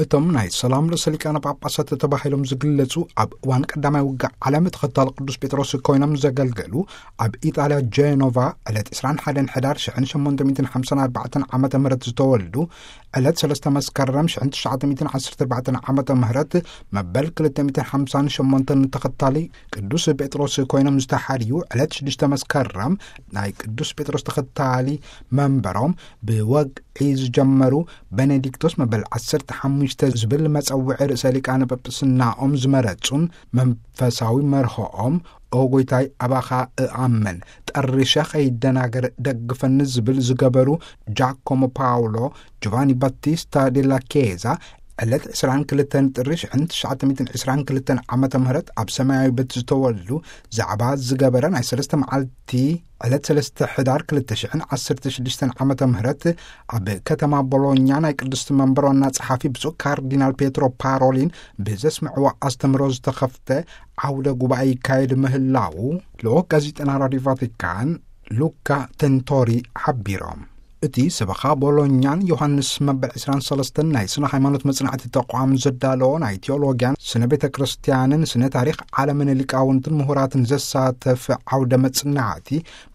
እቶም ናይ ሰላም ርእሰ ሊቃነ ጳጳሳት ተባሂሎም ዝግለጹ፣ ኣብ እዋን ቀዳማይ ውግእ ዓለም ተኸታሊ ቅዱስ ጴጥሮስ ኮይኖም ዘገልገሉ፣ ኣብ ኢጣልያ ጀኖቫ ዕለት ዕስራን ሓደን ሕዳር ሽሕን ሸሞንተ ሚእትን ሓምሳን ኣርባዕተን ዓመተ ምህረት ዝተወልዱ፣ ዕለት ሰለስተ መስከረም ሽሕን ትሽዓተ ሚእትን ዓሰርተ ኣርባዕተን ዓመተ ምህረት መበል ክልተ ሚእትን ሓምሳን ሸሞንተን ተኸታሊ ቅዱስ ጴጥሮስ ኮይኖም ዝተሓርዩ፣ ዕለት ሽዱሽተ መስከረም ናይ ቅዱስ ጴጥሮስ ተኸታሊ መንበሮም ብወግዒ ዝጀመሩ፣ ቤኔዲክቶስ መበል ዓሰርተ ሓሙሽተ ዝብል መጸውዒ ርእሰ ሊቃነ ጳጳስናኦም ዝመረጹን፣ መንፈሳዊ መርሆኦም "ኦ ጎይታይ፣ ኣባኻ እኣምን፣ ጠሪሸ ኸይደናገር ደግፈኒ" ዝብል ዝገበሩ ጃኮሞ ፓውሎ ጆቫኒ ባቲስታ ዴላ ኬዛ፣ ዕለት ዕስራን ክልተን ጥሪ ሽሕን ትሽዓተ ሚእትን ዕስራን ክልተን ዓመተ ምህረት ኣብ ሰማያዊ ቤት ዝተወልዱ፣ ዛዕባ ዝገበረ ናይ ሰለስተ መዓልቲ፣ ዕለት ሰለስተ ሕዳር ክልተ ሽሕን ዓሰርተ ሽዱሽተን ዓመተ ምህረት ኣብ ከተማ ቦሎኛ ናይ ቅድስቲ መንበር ዋና ጸሓፊ ብፁዕ ካርዲናል ፔትሮ ፓሮሊን ብዘስምዕዎ ኣስተምህሮ ዝተኸፍተ ዓውደ ጉባኤ ይካየድ ምህላዉ ልኡኽ ጋዜጠና ራዲዮ ቫቲካን ሉካ ተንቶሪ ሓቢሮም። እቲ ሰበኻ ቦሎኛን ዮሃንስ መበል ዕስራን ሰለስተን ናይ ስነ ሃይማኖት መጽናዕቲ ተቋም ዘዳለዎ ናይ ቴዎሎጊያን ስነ ቤተ ክርስቲያንን ስነ ታሪኽ ዓለምን ሊቃውንትን ምሁራትን ዘሳተፍ ዓውደ መጽናዕቲ፣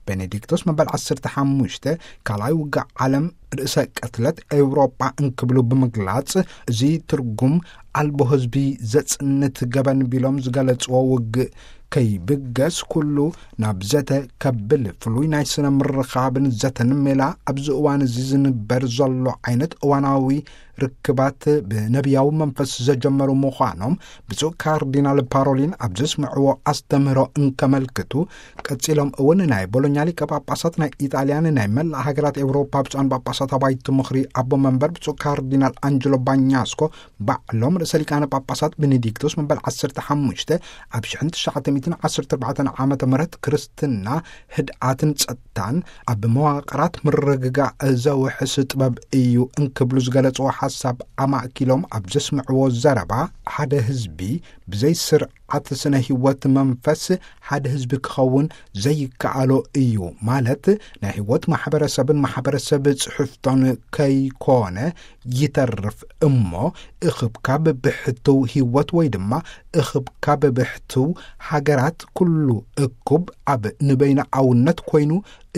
ቤኔዲክቶስ መበል ዓሰርተ ሓሙሽተ ካልኣይ ውግእ ዓለም ርእሰ ቅትለት ኤውሮጳ እንክብሉ ብምግላጽ፣ እዚ ትርጉም ኣልቦ ህዝቢ ዘጽንት ገበን ቢሎም ዝገለጽዎ ውግእ ከይብገስ፣ ኩሉ ናብ ዘተ ከብል፣ ፍሉይ ናይ ስነ ምርኻብን ዘተን ሜላ ኣብዚ እዋን እዚ ዝንበር ዘሎ ዓይነት እዋናዊ ርክባት ብነቢያዊ መንፈስ ዘጀመሩ ምዃኖም ብፁዕ ካርዲናል ፓሮሊን ኣብ ዘስምዕዎ ኣስተምህሮ እንከመልክቱ፣ ቀጺሎም እውን ናይ ቦሎኛ ሊቀ ጳጳሳት ናይ ኢጣልያን ናይ መላእ ሃገራት ኤውሮፓ ብፁዓን ጳጳሳት ኣባይቲ ምኽሪ ኣቦ መንበር ብፁዕ ካርዲናል ኣንጀሎ ባኛስኮ ባዕሎም ርእሰ ሊቃነ ጳጳሳት ቤኔዲክቶስ መበል ዓሰርተ ሓሙሽተ ኣብ ሽሕን ትሽዓተ ሚእትን ዓሰርተ ኣርባዕተን ዓመተ ምህረት ክርስትና ህድኣትን ጸጥታን ኣብ መዋቕራት ምርግጋእ ዘውሕስ ጥበብ እዩ እንክብሉ ዝገለጽዎ ሓሳብ ኣማእኪሎም ኣብ ዘስምዕዎ ዘረባ፣ ሓደ ህዝቢ ብዘይ ስርዓት ስነ ህይወት መንፈስ ሓደ ህዝቢ ክኸውን ዘይከኣሎ እዩ፣ ማለት ናይ ህይወት ማሕበረሰብን ማሕበረሰብ ጽሑፍቶን ከይኮነ ይተርፍ እሞ፣ እኽብካብ ብሕትው ህይወት ወይ ድማ እኽብካብ ብሕትው ሃገራት ኩሉ እኩብ ኣብ ንበይናኣውነት ኮይኑ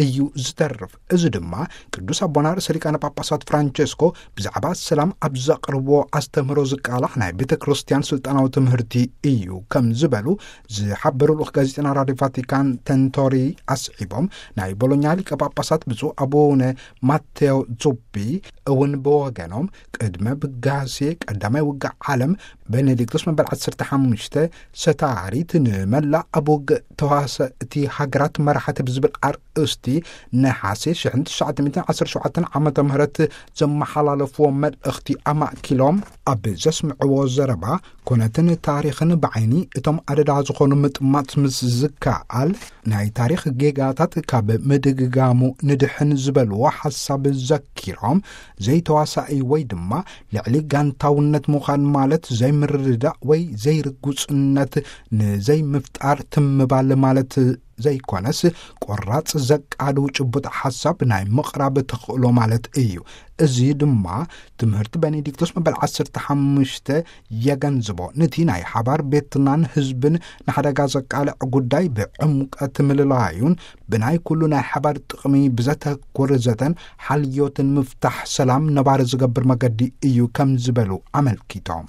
እዩ ዝተርፍ። እዚ ድማ ቅዱስ ኣቦና ርእሰ ሊቃነ ጳጳሳት ፍራንቸስኮ ብዛዕባ ሰላም ኣብ ዘቕርብዎ ኣስተምህሮ ዝቃላሕ ናይ ቤተ ክርስቲያን ስልጣናዊ ትምህርቲ እዩ ከም ዝበሉ ዝሓበሩ ልኡኽ ጋዜጠና ራዲዮ ቫቲካን ተንቶሪ ኣስዒቦም፣ ናይ ቦሎኛ ሊቀ ጳጳሳት ብፁዕ ኣቡነ ማቴዎ ዙቢ እውን ብወገኖም፣ ቅድመ ብጋሴ ቀዳማይ ውግእ ዓለም፣ ቤኔዲክቶስ መበል ዓሰርተ ሓሙሽተ ሰታሪት ንመላእ ኣብ ውግእ ተዋሰእቲ ሃገራት መራሕቲ ብዝብል ኣርእስቲ፣ ነሓሴ ሽሕን ትሽዓተ ሚእትን ዓሰርተ ሸውዓተን ዓመተ ምህረት ዘመሓላለፍዎ መልእኽቲ ኣማእኪሎም ኣብ ዘስምዕዎ ዘረባ፣ ኮነትን ታሪኽን ብዓይኒ እቶም ኣደዳ ዝኾኑ ምጥማት ምስ ዝከኣል፣ ናይ ታሪኽ ጌጋታት ካብ ምድግጋሙ ንድሕን ዝበልዎ ሓሳብ ዘኪሮም፣ ዘይተዋሳኢ ወይ ድማ ልዕሊ ጋንታውነት ምዃን ማለት ዘይምርድዳእ ወይ ዘይርጉጽነት ንዘይምፍጣር ትምባል ማለት ዘይኮነስ፣ ቆራጽ ዘቃልው ጭቡጥ ሓሳብ ናይ ምቕራብ ተኽእሎ ማለት እዩ። እዚ ድማ ትምህርቲ ቤኔዲክቶስ መበል ዓሰርተ ሓሙሽተ የገንዝቦ። ነቲ ናይ ሓባር ቤትናን ህዝብን ንሓደጋ ዘቃልዕ ጉዳይ ብዕምቀት ምልላዩን ብናይ ኩሉ ናይ ሓባር ጥቕሚ ብዘተኩር ዘተን ሓልዮትን ምፍታሕ ሰላም ነባሪ ዝገብር መገዲ እዩ ከም ዝበሉ ኣመልኪቶም።